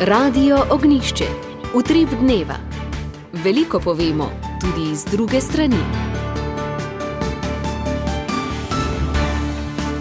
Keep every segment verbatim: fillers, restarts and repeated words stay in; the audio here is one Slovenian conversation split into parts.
Radio Ognjišče. Utrip dneva. Veliko povemo, tudi iz druge strani.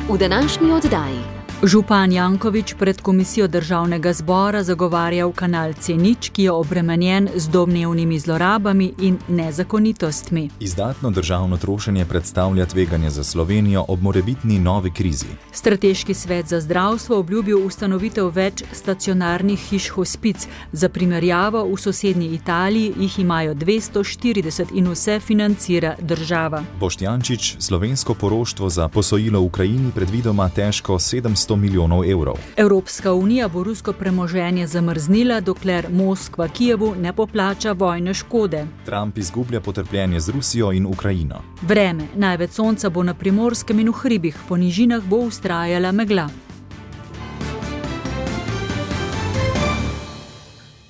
V današnji oddaji. Župan Janković pred komisijo državnega zbora zagovarjal kanal C nič, ki je obremenjen z domnevnimi zlorabami in nezakonitostmi. Izdatno državno trošenje predstavlja tveganje za Slovenijo ob morebitni novi krizi. Strateški svet za zdravstvo obljubil ustanovitev več stacionarnih hiš hospic. Za primerjavo, v sosednji Italiji jih imajo dvesto štirideset in vse financira država. Boštjančič, slovensko poroštvo za posojilo Ukrajini predvidoma težko sedemsto milijonov evrov. Evropska unija bo rusko premoženje zamrznila, dokler Moskva Kijevu ne poplača vojne škode. Trump izgublja potrpljenje z Rusijo in Ukrajino. Vreme. Največ sonca bo na Primorskem in v hribih, po nižinah bo vztrajala megla.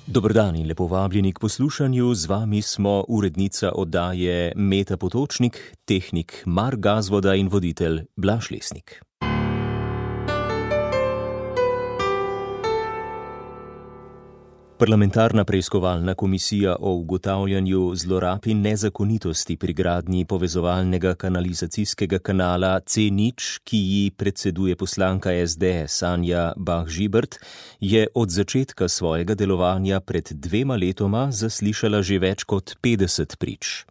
Dober dan in lepo vabljeni k poslušanju. Z vami smo urednica oddaje Meta Potočnik, tehnik Mark Gazvoda in voditelj Blaž Lesnik. Parlamentarna preiskovalna komisija o ugotavljanju zlorab in nezakonitosti pri gradnji povezovalnega kanalizacijskega kanala C nič, ki ji predseduje poslanka S D S Anja Bah Žibert, je od začetka svojega delovanja pred dvema letoma zaslišala že več kot petdeset prič.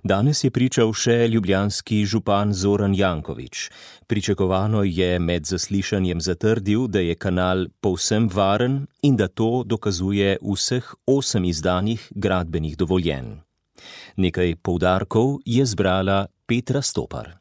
Danes je pričal še ljubljanski župan Zoran Janković. Pričakovano je med zaslišanjem zatrdil, da je kanal povsem varen in da to dokazuje vseh osem izdanih gradbenih dovoljenj. Nekaj poudarkov je zbrala Petra Stopar.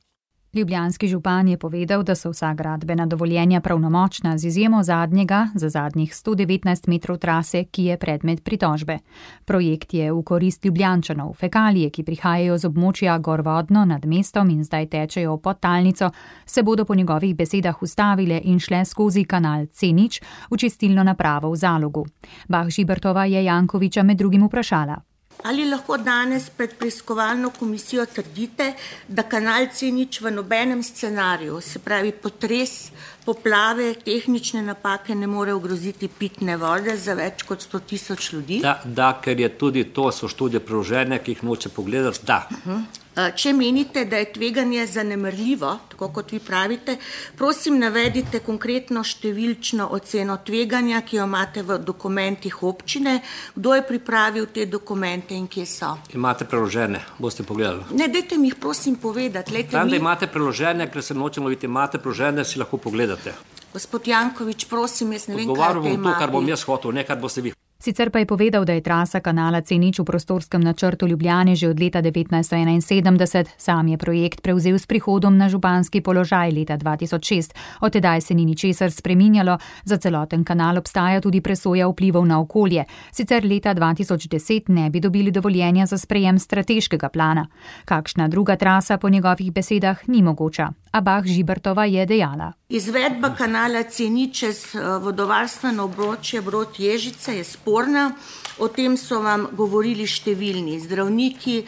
Ljubljanski župan je povedal, da so vsa gradbena dovoljenja pravnomočna z izjemo zadnjega za zadnjih sto devetnajst metrov trase, ki je predmet pritožbe. Projekt je v korist Ljubljančanov. Fekalije, ki prihajajo z območja gorvodno nad mestom in zdaj tečejo v podtalnico, se bodo po njegovih besedah ustavile in šle skozi kanal C nič v čistilno napravo v Zalogu. Bah Žibertova je Jankovića med drugim vprašala. Ali lahko danes pred preiskovalno komisijo trdite, da kanal C nič v nobenem scenariju, se pravi potres, poplave, tehnične napake, ne more ogroziti pitne vode za več kot sto tisoč ljudi? Da, da, ker je tudi to, so študije preložene, ki jih noče pogledati, da. Uh-huh. Če menite, da je tveganje zanemarljivo, tako kot vi pravite, prosim navedite konkretno številčno oceno tveganja, ki jo imate v dokumentih občine, kdo je pripravil te dokumente in kje so. Imate preložene, boste pogledali. Ne, dajte mi jih prosim povedati. Lejte, Tam, mi... da imate preložene, ker se nočem loviti, imate preložene, si lahko pogledate. Gospod Janković, prosim, jaz ne vem, kaj te Odgovarjam bom to, kar bom jaz hotel, ne kar boste vi. Sicer pa je povedal, da je trasa kanala C nič v prostorskem načrtu Ljubljane že od leta devetnajststo enainsedemdeset. Sam je projekt prevzel s prihodom na županski položaj leta dva tisoč šest. Od tedaj se ni ničesar spreminjalo, za celoten kanal obstaja tudi presoja vplivov na okolje. Sicer leta dva tisoč deset ne bi dobili dovoljenja za sprejem strateškega plana. Kakšna druga trasa po njegovih besedah ni mogoča. A Bah Žibertova je dejala. Izvedba kanala C nič čez vodovarstveno območje Brod-Ježice je sporna. O tem so vam govorili številni zdravniki,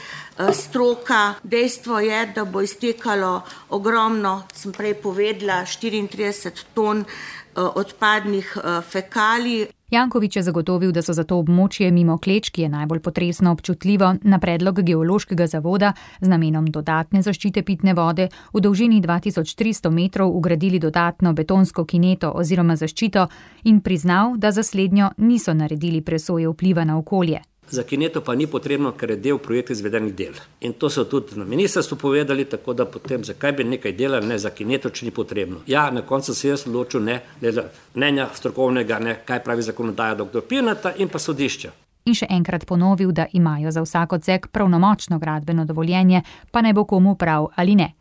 stroka. Dejstvo je, da bo iztekalo ogromno, sem prej povedala, štiriintrideset ton odpadnih fekalij. Janković je zagotovil, da so za to območje mimo Kleč, ki je najbolj potresno občutljivo, na predlog geološkega zavoda z namenom dodatne zaščite pitne vode v dolžini dva tisoč tristo metrov ugradili dodatno betonsko kineto oziroma zaščito in priznal, da za slednjo niso naredili presoje vpliva na okolje. Za kineto pa ni potrebno, ker je del projekta izvedenih del. In to so tudi na ministrstvu povedali, tako da potem zakaj bi nekaj delali, ne za kineto, če ni potrebno. Ja, na koncu se jaz odločil, ne, mnenja strokovnega, ne, kaj pravi zakonodaja doktor Pirnata in pa sodišča. In še enkrat ponovil, da imajo za vsak odsek pravnomočno gradbeno dovoljenje, pa naj bo komu prav ali ne.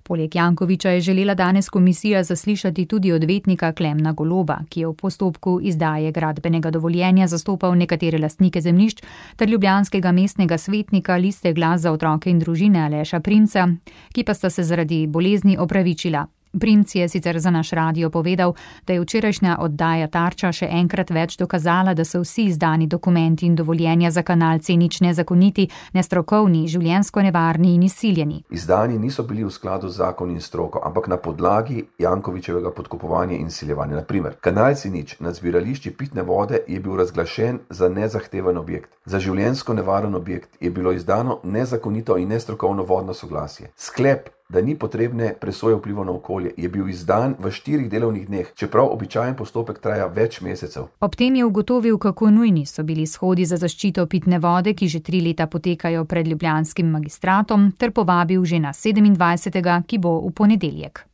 Poleg Jankovića je želela danes komisija zaslišati tudi odvetnika Klemna Goloba, ki je v postopku izdaje gradbenega dovoljenja zastopal nekatere lastnike zemljišč, ter ljubljanskega mestnega svetnika Liste glas za otroke in družine Aleša Primca, ki pa sta se zaradi bolezni opravičila. Primc je sicer za naš radio povedal, da je včerajšnja oddaja Tarča še enkrat več dokazala, da so vsi izdani dokumenti in dovoljenja za kanal C nič nezakoniti, nestrokovni, življenjsko nevarni in izsiljeni. Izdani niso bili v skladu z zakoni in stroko, ampak na podlagi Jankovićevega podkupovanja in izsiljevanja. Na primer, kanal C nič nad zbirališči pitne vode je bil razglašen za nezahteven objekt. Za življenjsko nevaren objekt je bilo izdano nezakonito in nestrokovno vodno soglasje. Sklep, da ni potrebne presoje vplivov na okolje, je bil izdan v štirih delovnih dneh, čeprav običajen postopek traja več mesecev. Ob tem je ugotovil, kako nujni so bili shodi za zaščito pitne vode, ki že tri leta potekajo pred ljubljanskim magistratom, ter povabil že na sedemindvajsetega, ki bo v ponedeljek.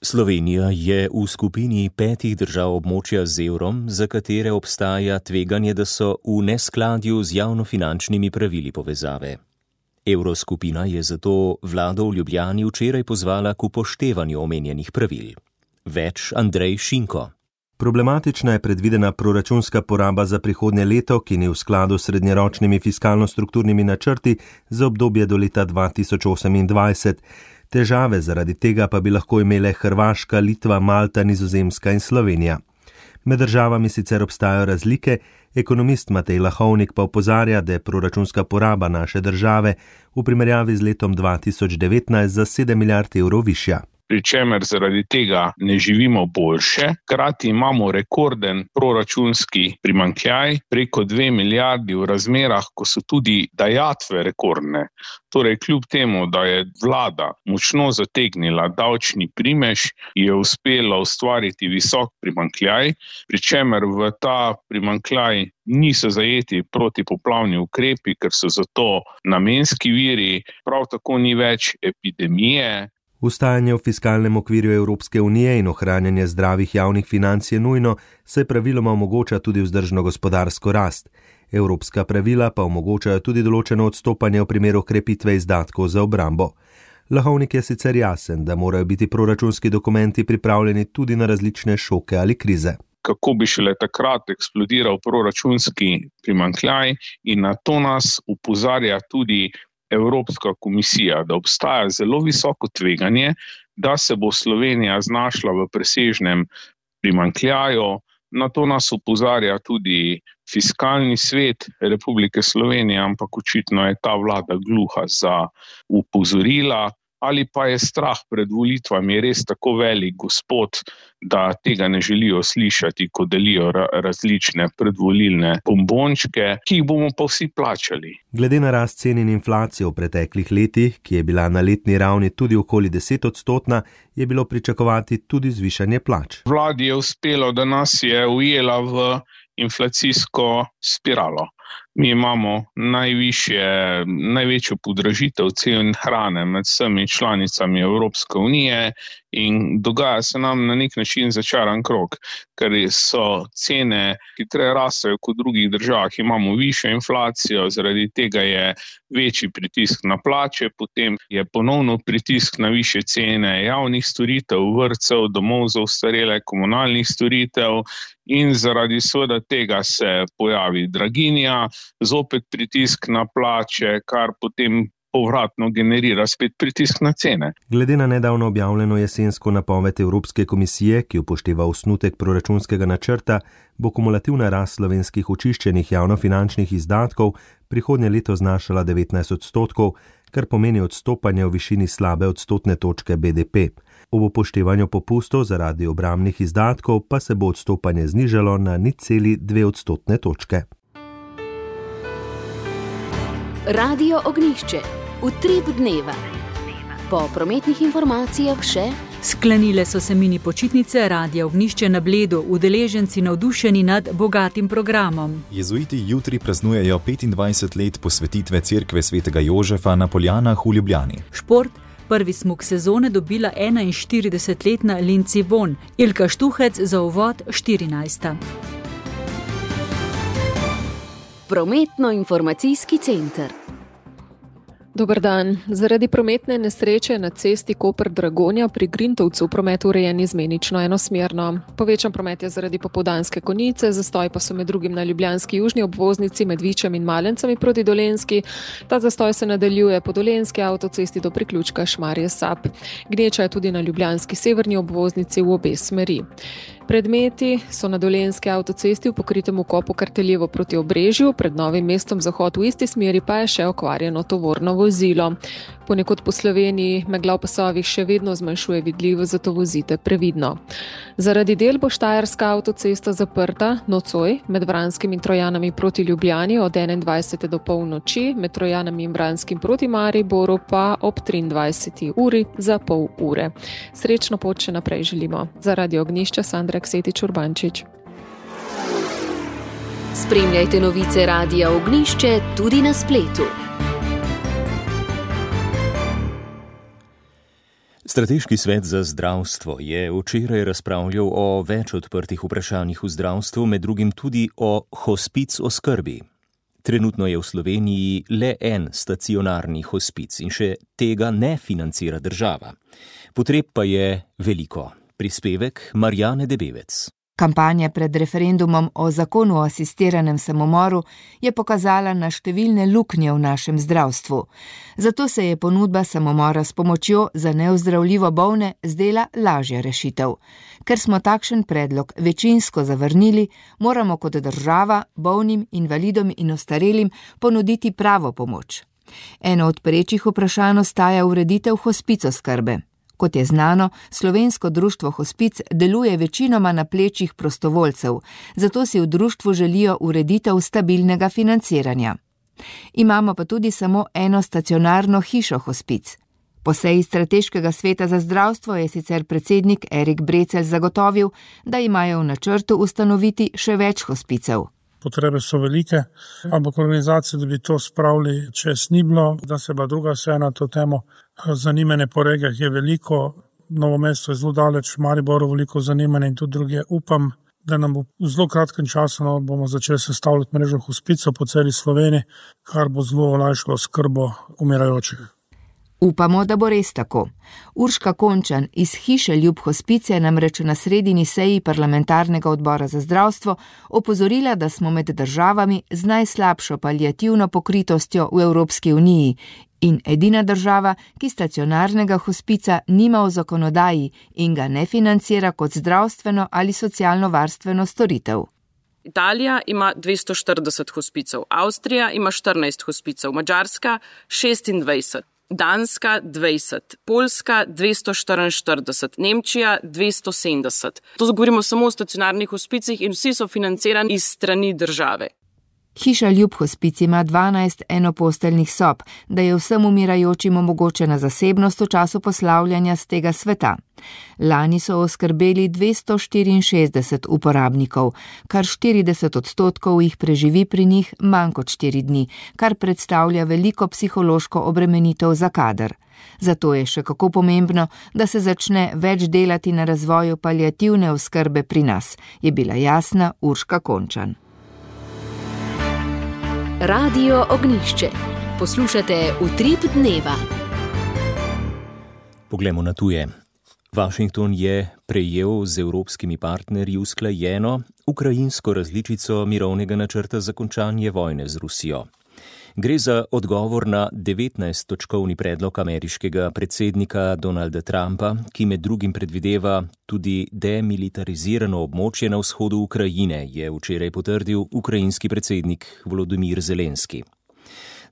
Slovenija je v skupini petih držav območja z evrom, za katere obstaja tveganje, da so v neskladju z javnofinančnimi pravili povezave. Evroskupina je zato vlado v Ljubljani včeraj pozvala k upoštevanju omenjenih pravil. Več Andrej Šinko. Problematična je predvidena proračunska poraba za prihodnje leto, ki ni v skladu s srednjeročnimi fiskalno-strukturnimi načrti za obdobje do leta dva tisoč osemindvajset. Težave zaradi tega pa bi lahko imele Hrvaška, Litva, Malta, Nizozemska in Slovenija. Med državami sicer obstajajo razlike, ekonomist Matej Lahovnik pa opozarja, da je proračunska poraba naše države v primerjavi z letom dva tisoč devetnajst za sedem milijard evrov višja. Pri čemer zaradi tega ne živimo boljše, hkrati imamo rekorden proračunski primanjkljaj preko dve milijardi v razmerah, ko so tudi dajatve rekordne. Torej, kljub temu, da je vlada močno zategnila davčni primež, je uspela ustvariti visok primanjkljaj, pri čemer v ta primanjkljaj niso zajeti protipoplavni ukrepi, ker so zato namenski viri, prav tako ni več epidemije. Ustajanje v fiskalnem okvirju Evropske unije in ohranjanje zdravih javnih financ je nujno, saj praviloma omogoča tudi vzdržno gospodarsko rast. Evropska pravila pa omogočajo tudi določeno odstopanje v primeru krepitve izdatkov za obrambo. Lahovnik je sicer jasen, da morajo biti proračunski dokumenti pripravljeni tudi na različne šoke ali krize. Kako bi šele takrat eksplodiral proračunski primanjkljaj, in na to nas opozarja tudi Evropska komisija, da obstaja zelo visoko tveganje, da se bo Slovenija znašla v presežnem primanjkljaju. Na to nas opozarja tudi Fiskalni svet Republike Slovenije, ampak očitno je ta vlada gluha za opozorila. Ali pa je strah pred volitvami res tako velik gospod, da tega ne želijo slišati, ko delijo različne predvolilne bombončke, ki jih bomo pa vsi plačali. Glede na rast cen in inflacijo v preteklih letih, ki je bila na letni ravni tudi okoli deset odstotna, je bilo pričakovati tudi zvišanje plač. Vladi je uspelo, da nas je ujela v inflacijsko spiralo. Mi imamo najvišje, največjo podražitev cen hrane med vsemi članicami Evropske unije in dogaja se nam na nek način začaran krog, ker so cene hitreje rastejo kot v drugih državah, imamo višjo inflacijo, zaradi tega je večji pritisk na plače, potem je ponovno pritisk na višje cene javnih storitev, vrtcev, domov za ostarele, komunalnih storitev in zaradi seveda tega se pojavi draginja, zopet pritisk na plače, kar potem povratno generira spet pritisk na cene. Glede na nedavno objavljeno jesensko napoved Evropske komisije, ki upošteva osnutek proračunskega načrta, bo kumulativna rast slovenskih očiščenih javnofinančnih izdatkov prihodnje leto znašala devetnajst odstotkov, kar pomeni odstopanje v višini slabe odstotne točke B D P. Ob upoštevanju popustov zaradi obrambnih izdatkov pa se bo odstopanje znižalo na nič cela dve odstotne točke. Radio Ognjišče. Utrip dneva. Po prometnih informacijah še: sklenile so se mini počitnice Radia Ognjišče na Bledu, udeleženci navdušeni nad bogatim programom. Jezuiti jutri praznujejo petindvajset let posvetitve cerkve svetega Jožefa na Poljanah v Ljubljani. Šport. Prvi smuk sezone dobila enainštiridesetletna Lindsey Vonn, Ilka Štuhec za uvod štirinajsta. Prometno-informacijski center. Dober dan. Zaradi prometne nesreče na cesti Koper-Dragonja pri Grintovcu promet urejen izmenično enosmerno. Povečan promet je zaradi popoldanske konice, zastoj pa so med drugim na ljubljanski južni obvoznici med Vičem in Malencami proti Dolenjski. Ta zastoj se nadaljuje po dolenjski avtocesti do priključka Šmarje-Sap. Gneča je tudi na ljubljanski severni obvoznici v obe smeri. Predmeti so na dolenjski avtocesti v pokritem ukopu Karteljevo proti Obrežju, pred Novim mestom zahod v isti smeri pa je še okvarjeno tovorno vozilo. Ponekod po Sloveniji megla v pasovih še vedno zmanjšuje vidljivost, zato vozite previdno. Zaradi del bo štajerska avtocesta zaprta nocoj med Vranskim in Trojanami proti Ljubljani od enaindvajsete do polnoči, med Trojanami in Vranskim proti Mariboru pa ob triindvajseti uri za pol ure. Srečno pot še naprej želimo. Za Radio Ognjišče Sandra Ksetič Urbančič. Spremljajte novice Radia Ognjišče tudi na spletu. Strateški svet za zdravstvo je včeraj razpravljal o več odprtih vprašanjih v zdravstvu, med drugim tudi o hospic oskrbi. Trenutno je v Sloveniji le en stacionarni hospic in še tega ne financira država. Potreb pa je veliko. Prispevek Marjane Debevec. Kampanja pred referendumom o zakonu o asistiranem samomoru je pokazala na številne luknje v našem zdravstvu. Zato se je ponudba samomora s pomočjo za neozdravljivo bolne zdela lažja rešitev. Ker smo takšen predlog večinsko zavrnili, moramo kot država bolnim, invalidom in ostarelim ponuditi pravo pomoč. Eno od perečih vprašanj ostaja ureditev hospic oskrbe. Kot je znano, Slovensko društvo hospic deluje večinoma na plečih prostovoljcev, zato si v društvu želijo ureditev stabilnega financiranja. Imamo pa tudi samo eno stacionarno hišo hospic. Po seji strateškega sveta za zdravstvo je sicer predsednik Erik Brecelj zagotovil, da imajo v načrtu ustanoviti še več hospicev. Potrebe so velike, ampak organizacije, da bi to spravili čez ni bilo, da se pa druga seja na to temo. Zanimanje po regijah je veliko, Novo mesto je zelo daleč, Mariboru veliko zanimanje in tudi druge. Upam, da nam bo v zelo kratkem času no, bomo začeli sestavljati mrežo hospicov po celi Sloveniji, kar bo zelo olajšalo skrbo umirajočih. Upamo, da bo res tako. Urška Končan iz Hiše Ljub hospic je namreč na sredini seji parlamentarnega odbora za zdravstvo opozorila, da smo med državami z najslabšo paliativno pokritostjo v Evropski uniji in edina država, ki stacionarnega hospica nima v zakonodaji in ga ne financira kot zdravstveno ali socialno-varstveno storitev. Italija ima dvesto štirideset hospicov, Avstrija ima štirinajst hospicov, Madžarska šestindvajset. Danska dvajset, Poljska dvesto štiriinštirideset, Nemčija dvesto sedemdeset. To govorimo samo o stacionarnih hospicih in vsi so financirani iz strani države. Hiša Ljub hospic ima dvanajst enoposteljnih sob, da je vsem umirajočim omogočena zasebnost v času poslavljanja z tega sveta. Lani so oskrbeli dvesto štiriinšestdeset uporabnikov, kar štirideset odstotkov jih preživi pri njih manj kot štiri dni, kar predstavlja veliko psihološko obremenitev za kader. Zato je še kako pomembno, da se začne več delati na razvoju paliativne oskrbe pri nas, je bila jasna Urška Končan. Radio Ognjišče. Poslušate Utrip dneva. Poglejmo na tuje. Washington je prejel z evropskimi partnerji usklajeno ukrajinsko različico mirovnega načrta za končanje vojne z Rusijo. Gre za odgovor na devetnajsttočkovni predlog ameriškega predsednika Donalda Trumpa, ki med drugim predvideva tudi demilitarizirano območje na vzhodu Ukrajine, je včeraj potrdil ukrajinski predsednik Volodymyr Zelenski.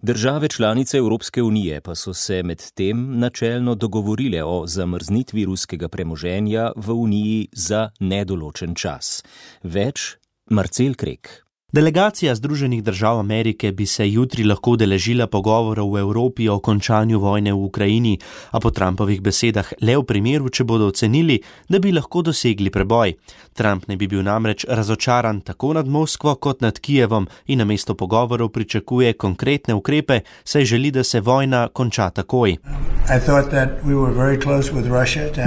Države članice Evropske unije pa so se med tem načelno dogovorile o zamrznitvi ruskega premoženja v uniji za nedoločen čas. Več Marcel Krek. Delegacija Združenih držav Amerike bi se jutri lahko udeležila pogovorov v Evropi o končanju vojne v Ukrajini, a po Trumpovih besedah le v primeru, če bodo ocenili, da bi lahko dosegli preboj. Trump ne bi bil namreč razočaran tako nad Moskvo kot nad Kijevom in namesto pogovorov pričakuje konkretne ukrepe, saj želi, da se vojna konča takoj.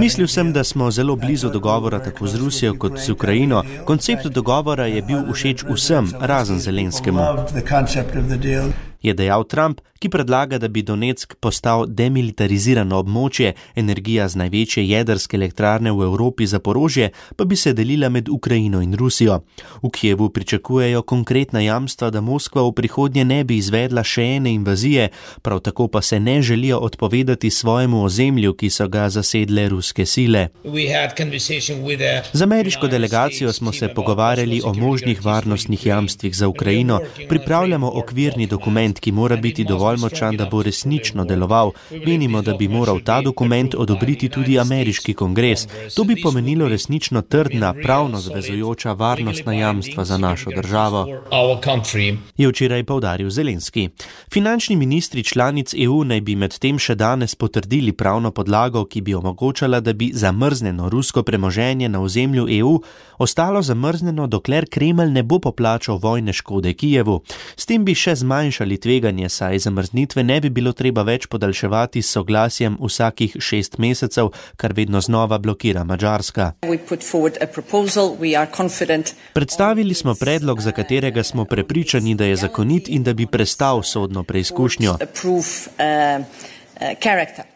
Mislil sem, da smo zelo blizu dogovora tako z Rusijo kot z Ukrajino. Koncept dogovora je bil všeč vsem, razen Zelenskemu. je dejal Trump, ki predlaga, da bi Donetsk postal demilitarizirano območje, energija z največje jedrske elektrarne v Evropi Zaporožje pa bi se delila med Ukrajino in Rusijo. V Kijevu pričakujejo konkretna jamstva, da Moskva v prihodnje ne bi izvedla še ene invazije, prav tako pa se ne želijo odpovedati svojemu ozemlju, ki so ga zasedle ruske sile. Z ameriško delegacijo smo se pogovarjali o možnih varnostnih jamstvih za Ukrajino, pripravljamo okvirni dokument, ki mora biti dovolj močan, da bo resnično deloval. Menimo, da bi moral ta dokument odobriti tudi ameriški kongres. To bi pomenilo resnično trdna, pravno zavezujoča varnostna jamstva za našo državo, je včeraj poudaril Zelenski. Finančni ministri članic E U naj bi medtem še danes potrdili pravno podlago, ki bi omogočala, da bi zamrznjeno rusko premoženje na ozemlju E U ostalo zamrznjeno, dokler Kremelj ne bo poplačal vojne škode Kijevu. S tem bi še zmanjšali tveganje, saj zamrznitve ne bi bilo treba več podaljševati s soglasjem vsakih šest mesecev, kar vedno znova blokira Madžarska. Predstavili smo predlog, za katerega smo prepričani, da je zakonit in da bi prestal sodno preizkušnjo,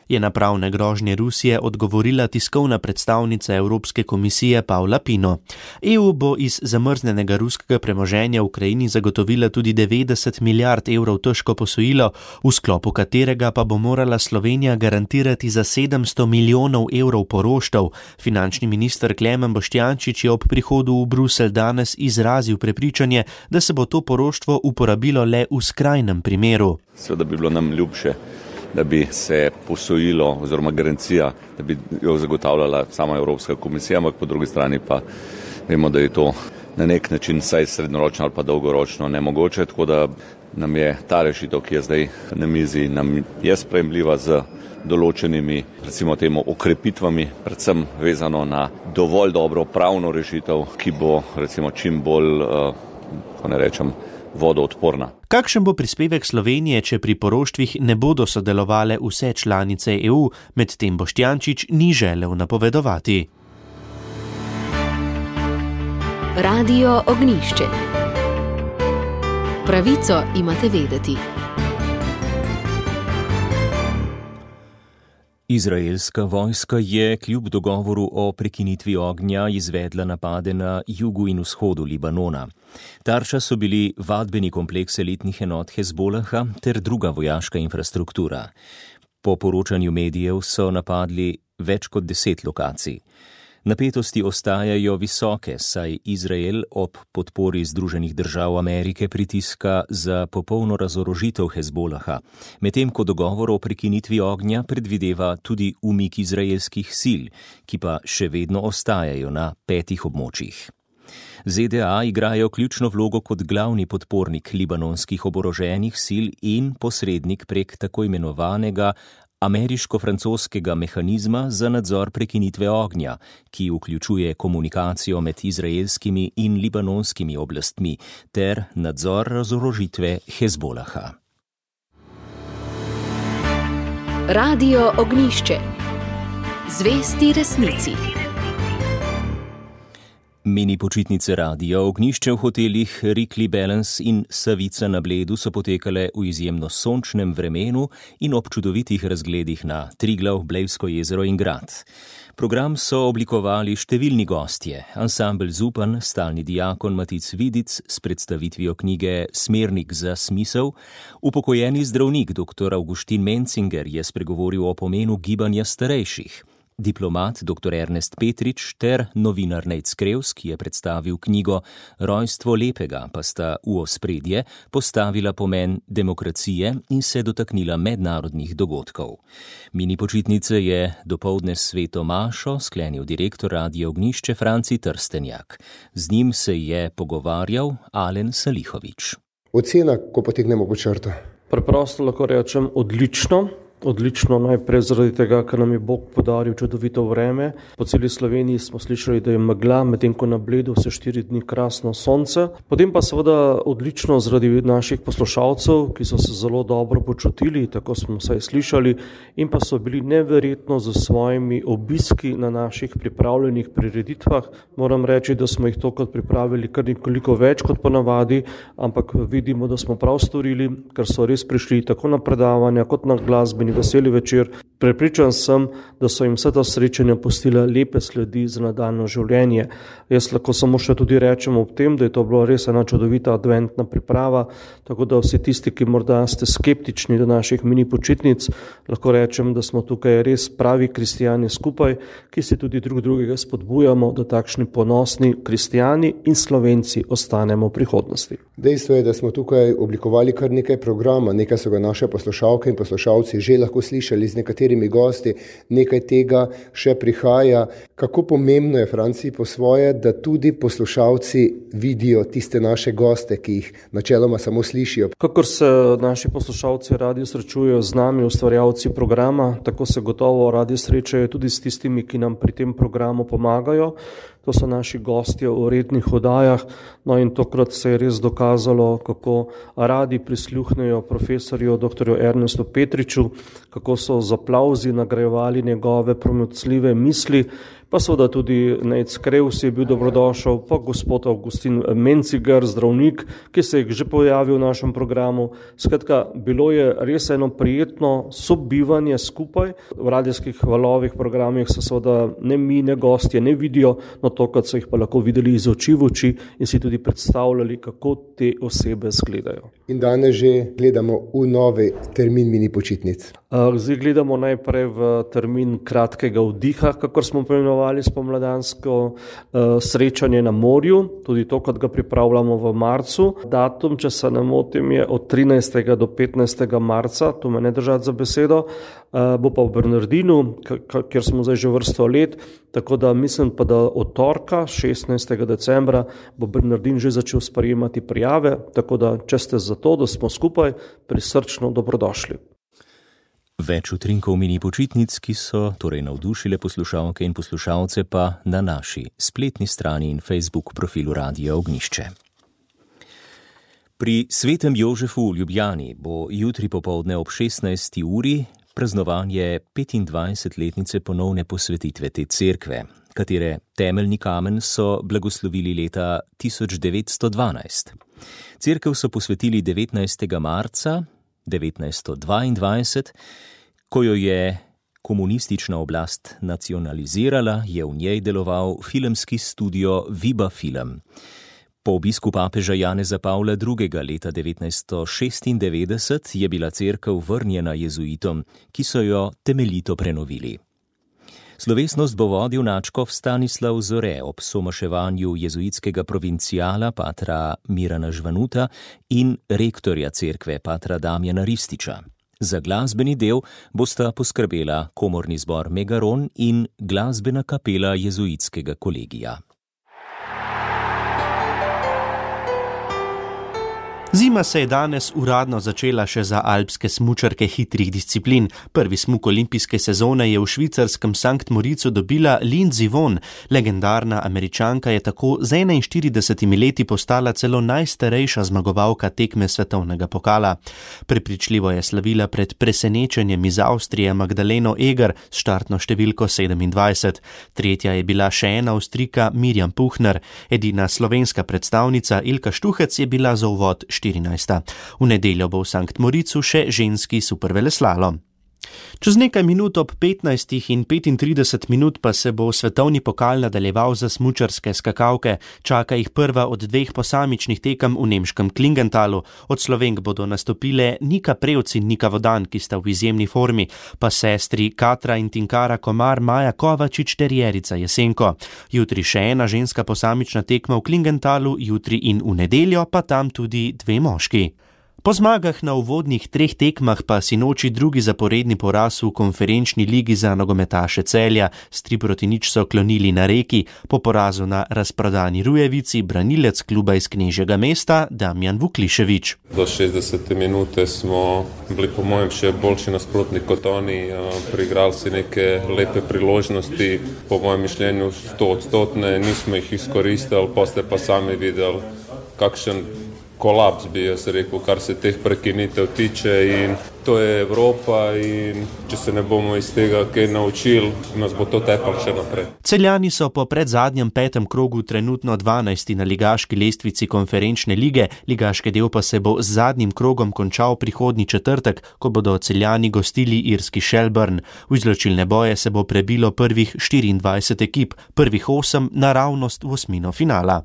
je na pravne grožnje Rusije odgovorila tiskovna predstavnica Evropske komisije Paula Pino. E U bo iz zamrznjenega ruskega premoženja v Ukrajini zagotovila tudi devetdeset milijard evrov težko posojilo, v sklopu katerega pa bo morala Slovenija garantirati za sedemsto milijonov evrov poroštev. Finančni minister Klemen Boštjančič je ob prihodu v Bruselj danes izrazil prepričanje, da se bo to poroštvo uporabilo le v skrajnem primeru. Seveda bi bilo nam ljubše, da bi se posojilo oziroma garancija, da bi jo zagotavljala sama Evropska komisija, ampak po drugi strani pa vemo, da je to na nek način vsaj srednjeročno ali pa dolgoročno nemogoče, tako da nam je ta rešitev, ki je zdaj na mizi, nam je sprejemljiva z določenimi, recimo temu, okrepitvami, predvsem vezano na dovolj dobro pravno rešitev, ki bo recimo čim bolj, uh, ko ne rečem, vodoodporna. Kakšen bo prispevek Slovenije, če pri poroštvih ne bodo sodelovale vse članice E U, medtem Boštjančič ni želel napovedovati. Radio Ognjišče. Pravico imate vedeti. Izraelska vojska je kljub dogovoru o prekinitvi ognja izvedla napade na jugu in vzhodu Libanona. Tarča so bili vadbeni kompleks elitnih enot Hezbolaha ter druga vojaška infrastruktura. Po poročanju medijev so napadli več kot deset lokacij. Napetosti ostajajo visoke, saj Izrael ob podpori Združenih držav Amerike pritiska za popolno razorožitev Hezbolaha, medtem ko dogovor o prekinitvi ognja predvideva tudi umik izraelskih sil, ki pa še vedno ostajajo na petih območjih. Z D A igrajo ključno vlogo kot glavni podpornik libanonskih oboroženih sil in posrednik prek tako imenovanega ameriško-francoskega mehanizma za nadzor prekinitve ognja, ki vključuje komunikacijo med izraelskimi in libanonskimi oblastmi ter nadzor razorožitve Hezbolaha. Radio Ognjišče. Zvesti resnici. Mini počitnice Radia Ognjišče v hotelih Rikli Balance in Savica na Bledu so potekale v izjemno sončnem vremenu in ob čudovitih razgledih na Triglav, Blejsko jezero in grad. Program so oblikovali številni gostje, ansambel Zupan, stalni diakon Matic Vidic s predstavitvijo knjige Smernik za smisel, upokojeni zdravnik dr. Avguštin Mencinger je spregovoril o pomenu gibanja starejših. Diplomat doktor Ernest Petrič ter novinar Nejc Krevs, ki je predstavil knjigo Rojstvo lepega, pa sta v ospredje postavila pomen demokracije in se dotaknila mednarodnih dogodkov. Mini počitnice je dopoldne s sveto mašo sklenil direktor Radia Ognjišče Franci Trstenjak. Z njim se je pogovarjal Alen Salihovič. Ocena, ko potegnemo pod črto. Preprosto lahko rečem odlično. Odlično, najprej zaradi tega, ker nam je Bog podaril čudovito vreme. Po celi Sloveniji smo slišali, da je megla, medtem ko na Bledu vse štiri dni krasno sonce. Potem pa seveda odlično zaradi naših poslušalcev, ki so se zelo dobro počutili, tako smo vsaj slišali, in pa so bili neverjetno z svojimi obiski na naših pripravljenih prireditvah. Moram reči, da smo jih tokrat pripravili kar nekoliko več kot ponavadi, ampak vidimo, da smo prav storili, ker so res prišli tako na predavanja kot na glasbeni veseli večer. Prepričan sem, da so jim vse ta srečanja pustila lepe sledi za nadaljnje življenje. Jaz lahko samo še tudi rečem ob tem, da je to bilo res ena čudovita adventna priprava, tako da vsi tisti, ki morda ste skeptični do naših mini počitnic, lahko rečem, da smo tukaj res pravi kristijani skupaj, ki se tudi drug drugega spodbujamo, da takšni ponosni kristijani in Slovenci ostanemo v prihodnosti. Dejstvo je, da smo tukaj oblikovali kar nekaj programa, nekaj so ga naše poslušalke in poslušalci že lahko slišali z nekaterimi gosti, nekaj tega še prihaja. Kako pomembno je, Franci, po svoje, da tudi poslušalci vidijo tiste naše goste, ki jih načeloma samo slišijo? Kakor se naši poslušalci radi srečujejo z nami, ustvarjalci programa, tako se gotovo radi srečajo tudi s tistimi, ki nam pri tem programu pomagajo. To so naši gostje v rednih oddajah, no in tokrat se je res dokazalo, kako radi prisluhnejo profesorju doktorju Ernestu Petriču, kako so z aplavzi nagrajevali njegove promocljive misli, pa seveda tudi Nejc Krevs je bil dobrodošel, pa gospod Avgustin Mencigar, zdravnik, ki se je že pojavil v našem programu. Skratka, bilo je res eno prijetno sobivanje skupaj. V radijskih valovih programih se seveda ne mi, ne gostje ne vidijo, no tokrat so jih pa lahko videli iz oči v oči in si tudi predstavljali, kako te osebe izgledajo. In danes že gledamo v novi termin mini počitnic. Zdaj gledamo najprej v termin kratkega vdiha, kakor smo poimenovali spomladansko uh, srečanje na morju, tudi tokrat ga pripravljamo v marcu. Datum, če se ne motim, je od trinajstega do petnajstega marca, to me ne držati za besedo, uh, bo pa v Bernardinu, kjer smo zdaj že vrsto let, tako da mislim pa, da od torka, šestnajstega decembra, bo Bernardin že začel sprejemati prijave, tako da če ste za to, da smo skupaj, prisrčno dobrodošli. Več utrinkov mini počitnic, ki so torej navdušile poslušalke in poslušalce, pa na naši spletni strani in Facebook profilu Radia Ognjišče. Pri Svetem Jožefu v Ljubljani bo jutri popoldne ob šestnajsti uri praznovanje petindvajsetletnice ponovne posvetitve te cerkve, katere temeljni kamen so blagoslovili leta tisoč devetsto dvanajst. Cerkev so posvetili devetnajstega marca devetnajststo dvaindvajset, ko jo je komunistična oblast nacionalizirala, je v njej deloval filmski studio Viba Film. Po obisku papeža Janeza Pavla drugega. leta devetnajststo šestindevetdeset je bila cerkev vrnjena jezuitom, ki so jo temeljito prenovili. Slovesnost bo vodil nadškof Stanislav Zore ob somaševanju jezuitskega provincijala patra Mirana Žvanuta in rektorja cerkve patra Damjana Rističa. Za glasbeni del bosta poskrbela komorni zbor Megaron in glasbena kapela jezuitskega kolegija. Zima se je danes uradno začela še za alpske smučarke hitrih disciplin. Prvi smuk olimpijske sezone je v švicarskem Sankt Moricu dobila Lindsey Vonn. Legendarna Američanka je tako z enainštiridesetimi leti postala celo najstarejša zmagovalka tekme svetovnega pokala. Prepričljivo je slavila pred presenečenjem iz Avstrije Magdaleno Eger s štartno številko sedemindvajset. Tretja je bila še ena Avstrijka Mirjam Puhner. Edina slovenska predstavnica Ilka Štuhec je bila za uvod štirinajsta. V nedeljo bo v Sankt Moricu še ženski superveleslalom. Čez nekaj minut ob petnajstih in petintrideset minut pa se bo svetovni pokal nadaljeval za smučarske skakalke. Čaka jih prva od dveh posamičnih tekem v nemškem Klingentalu. Od Slovenk bodo nastopile Nika Prevc in Nika Vodan, ki sta v izjemni formi, pa sestri Katra in Tinkara Komar, Maja Kovačič ter Jerica Jesenko. Jutri še ena ženska posamična tekma v Klingentalu, jutri in v nedeljo pa tam tudi dve moški. Po zmagah na uvodnih treh tekmah pa sinoči drugi zaporedni poraz v konferenčni ligi za nogometaše Celja. S tri proti nič so klonili na Reki, po porazu na razprodani Rujevici branilec kluba iz Knežjega mesta Damjan Vuklišević. Do šestdesete minute smo bili po mojem še boljši nasprotnik kot oni, priigrali si neke lepe priložnosti, po mojem mišljenju sto odstotne, nismo jih izkoristili, poslije pa sami videli kakšen kolaps bi jaz rekel, kar se teh prekinitev tiče, in to je Evropa in če se ne bomo iz tega kaj naučili, nas bo to tepalo še naprej. Celjani so po predzadnjem petem krogu trenutno dvanajsti na ligaški lestvici konferenčne lige, ligaški del pa se bo z zadnjim krogom končal prihodnji četrtek, ko bodo Celjani gostili irski Shelburne. V izločilne boje se bo prebilo prvih štiriindvajset ekip, prvih osem naravnost v osmino finala.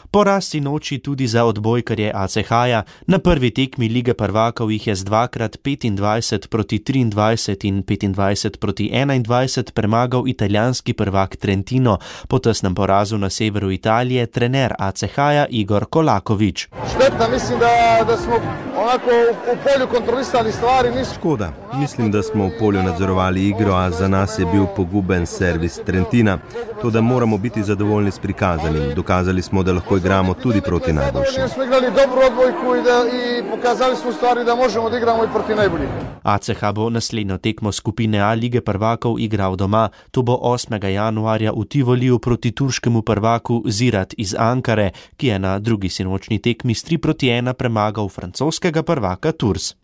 Poraz sinoči tudi za odbojkarje A C H-ja. Na prvi tekmi Lige prvakov jih je z dvakrat petindvajset proti triindvajset in petindvajset proti enaindvajset premagal italijanski prvak Trentino. Po tesnem porazu na severu Italije trener A C H-ja Igor Kolaković. Šteta, mislim, da, da smo onako v polju kontrolisali stvari. Nis... Škoda, mislim, da smo v polju nadzorovali igro, a za nas je bil poguben servis Trentina. To, da moramo biti zadovoljni s prikazanim. Dokazali smo, da lahko igramo tudi proti najboljšim. Smo igrali dobro odbojku i, da, i pokazali smo stvari da možemo da igramo i proti najboljih. A C H bo naslednjo tekmo skupine A Lige prvakov igral doma. To bo osmega januarja v Tivoliju proti turškemu prvaku Zirat iz Ankare, ki je na drugi sinočni tekmi s tri proti ena premagal francoskega prvaka Tours.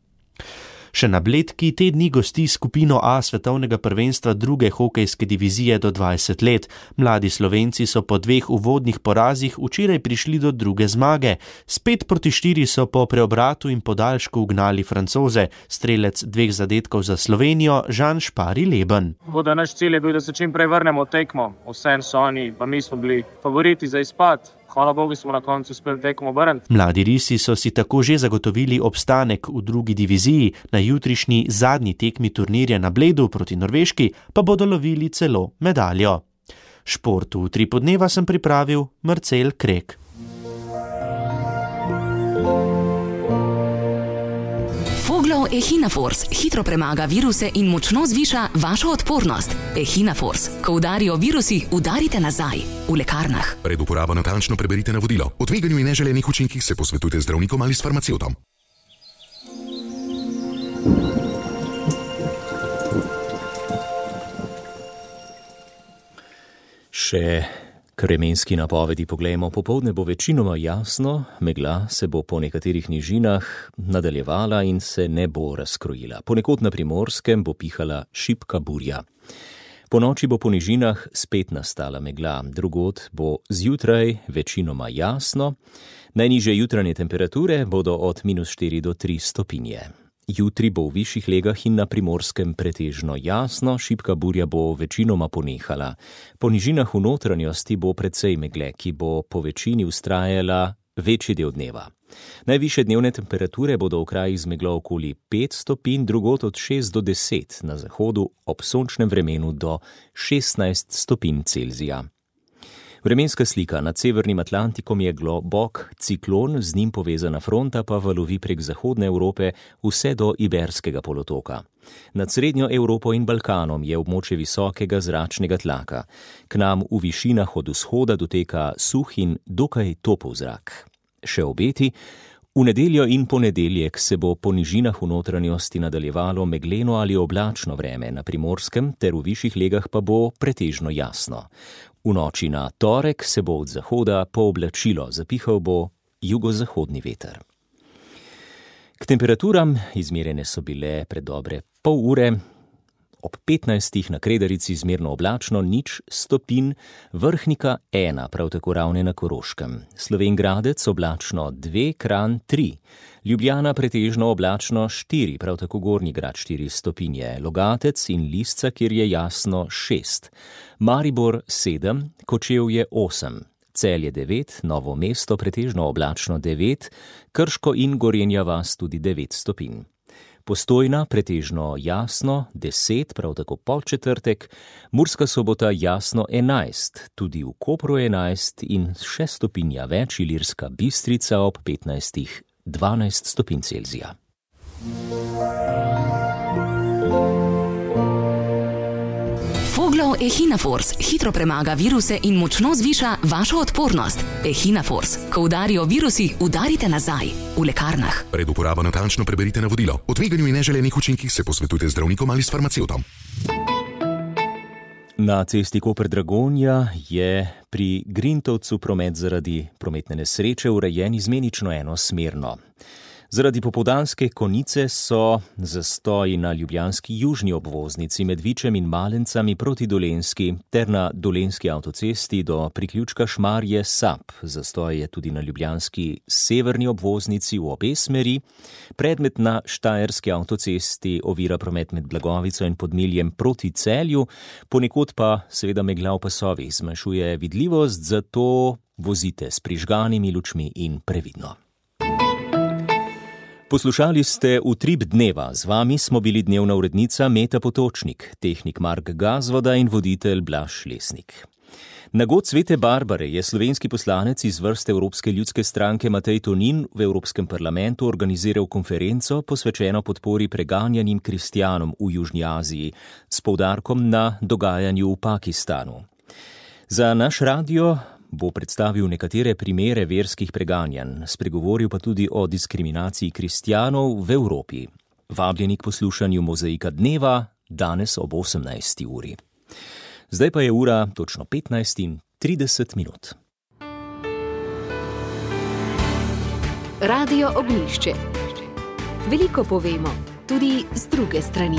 Še na Bledki te dni gosti skupino A svetovnega prvenstva druge hokejske divizije do dvajset let. Mladi Slovenci so po dveh uvodnih porazih včeraj prišli do druge zmage. S pet proti štiri so po preobratu in podaljšku ugnali Francoze. Strelec dveh zadetkov za Slovenijo Žan Špari Leben. Voda, naš cilj je bil, da se čim prej vrnemo tekmo. Vsem so oni, pa mi smo bili favoriti za izpad. Hvala Bogu smo na koncu uspeli tekmo obrniti. Mladi risi so si tako že zagotovili obstanek v drugi diviziji, na jutrišnji zadnji tekmi turnirja na Bledu proti Norveški pa bodo lovili celo medaljo. Šport v tri podneva sem pripravil Marcel Krek. Foglov Echinafors hitro premaga viruse in močno zviša vašo odpornost. Echinafors. Ko udarijo virusi, udarite nazaj. V lekarnah. Pred uporabo natančno preberite navodilo. O tveganju in neželenih učinkih se posvetujte z zdravnikom ali s farmacevtom. Še k vremenski napovedi poglejmo. Popoldne bo večinoma jasno, megla se bo po nekaterih nižinah nadaljevala in se ne bo razkrojila. Ponekod na Primorskem bo pihala šibka burja. Po noči bo po nižinah spet nastala megla, drugod bo zjutraj večinoma jasno. Najnižje jutranje temperature bodo od minus štiri do tri stopinje. Jutri bo v višjih legah in na Primorskem pretežno jasno, šibka burja bo večinoma ponehala. Po nižinah v notranjosti bo precej megle, ki bo po večini vztrajala večji del dneva. Najvišje dnevne temperature bodo v krajih z meglo okoli pet stopinj, drugod od šest do deset, na zahodu ob sončnem vremenu do šestnajst stopinj Celzija. Vremenska slika. Nad severnim Atlantikom je globok ciklon, z njim povezana fronta pa valovi prek zahodne Evrope vse do Iberskega polotoka. Nad srednjo Evropo in Balkanom je območje visokega zračnega tlaka. K nam v višinah od vzhoda doteka suh in dokaj topel zrak. Še obeti. V nedeljo in ponedeljek se bo po nižinah v notranjosti nadaljevalo megleno ali oblačno vreme, na Primorskem ter v višjih legah pa bo pretežno jasno. V noči na torek se bo od zahoda pooblačilo, zapihal bo jugozahodni veter. K temperaturam izmerjene so bile pred dobre pol ure, ob petnajstih na Kredarici zmerno oblačno nič stopinj, Vrhnika ena, prav tako Ravne na Koroškem. Slovenj Gradec oblačno dve, Kranj tri, Ljubljana pretežno oblačno štiri, prav tako Gornji Grad štiri stopinje, Logatec in Lisca, kjer je jasno šest, Maribor sedem, Kočevje osem, Celje devet, Novo mesto pretežno oblačno devet, Krško in Gorenja vas tudi devet stopinj. Postojna pretežno jasno deset, prav tako Podčetrtek, Murska Sobota jasno enajst, tudi v Kopru enajst in še stopinja več, Ilirska Bistrica ob petnajstih dvanajst stopinj Celzija. Foglov Echinafors hitro premaga viruse in močno zviša vašo odpornost. Echinafors, ko udarijo virusi, udarite nazaj. V lekarnah. Pred uporabo natančno preberite navodilo. O tveganju in neželenih učinkih se posvetujte z zdravnikom ali s farmacevtom. Na cesti Koper-Dragonja je pri Grintovcu promet zaradi prometne nesreče urejen izmenično enosmerno. Zaradi popoldanske konice so zastoji na ljubljanski južni obvoznici med Vičem in Malencami proti Dolenjski ter na dolenjski avtocesti do priključka Šmarje-Sap. Zastoj je tudi na ljubljanski severni obvoznici v obe smeri. Predmet na štajerski avtocesti ovira promet med Blagovico in Podmiljem proti Celju, ponekod pa seveda megla v pasovih zmanjšuje vidljivost, zato vozite s prižganimi lučmi in previdno. Poslušali ste Utrip dneva, z vami smo bili dnevna urednica Meta Potočnik, tehnik Mark Gazvoda in voditelj Blaž Lesnik. Na god Svete Barbare je slovenski poslanec iz vrste Evropske ljudske stranke Matej Tonin v Evropskem parlamentu organiziral konferenco posvečeno podpori preganjanim kristjanom v Južni Aziji s poudarkom na dogajanju v Pakistanu. Za naš radio bo predstavil nekatere primere verskih preganjanj, spregovoril pa tudi o diskriminaciji kristjanov v Evropi. Vabljeni k poslušanju Mozaika dneva danes ob osemnajsti uri. Zdaj pa je ura točno petnajst in trideset minut. Radio Ognjišče. Veliko povemo, tudi z druge strani.